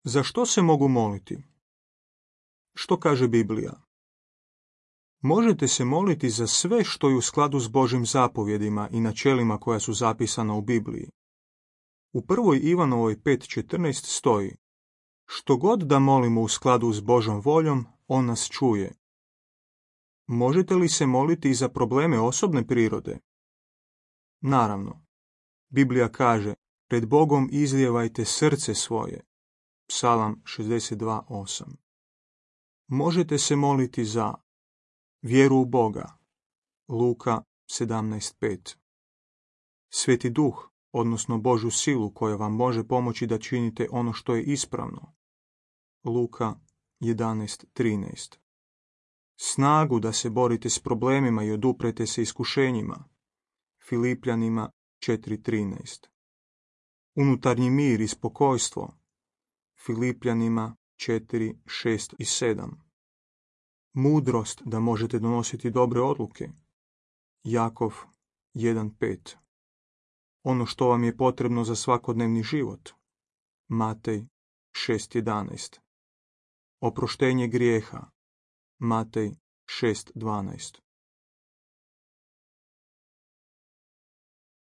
Za što se mogu moliti? Što kaže Biblija? Možete se moliti za sve što je u skladu s Božjim zapovjedima i načelima koja su zapisana u Bibliji. U 1. Ivanovoj 5.14 stoji: što god da molimo u skladu s Božjom voljom, on nas čuje. Možete li se moliti i za probleme osobne prirode? Naravno. Biblija kaže: pred Bogom izlijevajte srce svoje. Psalam 62.8. Možete se moliti za vjeru u Boga. Luka 17.5. Sveti Duh, odnosno Božju silu koja vam može pomoći da činite ono što je ispravno. Luka 11.13. Snagu da se borite s problemima i oduprete se iskušenjima. Filipljanima 4.13. Unutarnji mir i spokojstvo. Filipljanima 4.6 i 7. Mudrost da možete donositi dobre odluke. Jakov 1.5. Ono što vam je potrebno za svakodnevni život. Matej 6.11. Oproštenje grijeha. Matej 6.12.